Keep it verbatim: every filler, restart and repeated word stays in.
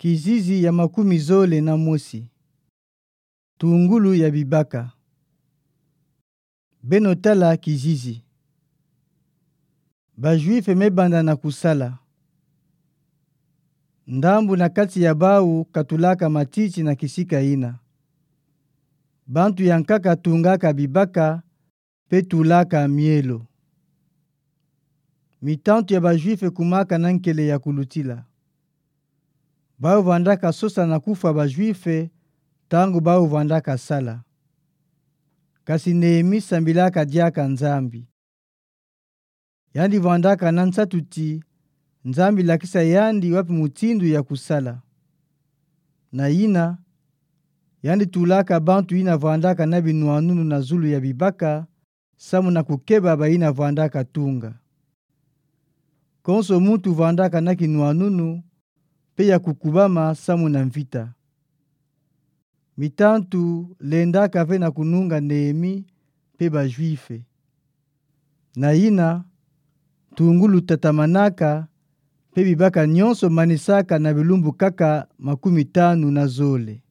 Kizizi ya makumi zole na mosi. Tungulu ya bibaka. Beno tala kizizi. Ba Juifs me banda na kusala. Ndambu na kati ya bawu katulaka matiti na kisika yina. Bantu ya nkaka tungaka bibaka, mpe tulaka mielo. Mitantu ya ba Juifs kumaka na nkele ya kulutila. Bawu vandaka sosa na kufwa ba Juifs, ntangu bawu vandaka sala. Kasi Nehemi sambilaka diaka Nzambi. Yandi vandaka na nsatu ti, Nzambi lakisa yandi wapi mutindu ya kusala. Na yina, yandi tulaka bantu yina vandaka na binwanunu na zulu ya bibaka, samu na kukeba bayina vandaka tunga. Konso muntu vandaka na kinwanunu, mpe ya kukubama samu na mvita. Mitantu lendaka ve na kununga Nehemi mpe ba Juifs. Na yina, tungulu tatamanaka, mpe bibaka nionso manisaka na bilumbu nkaka makumi tanu na zole.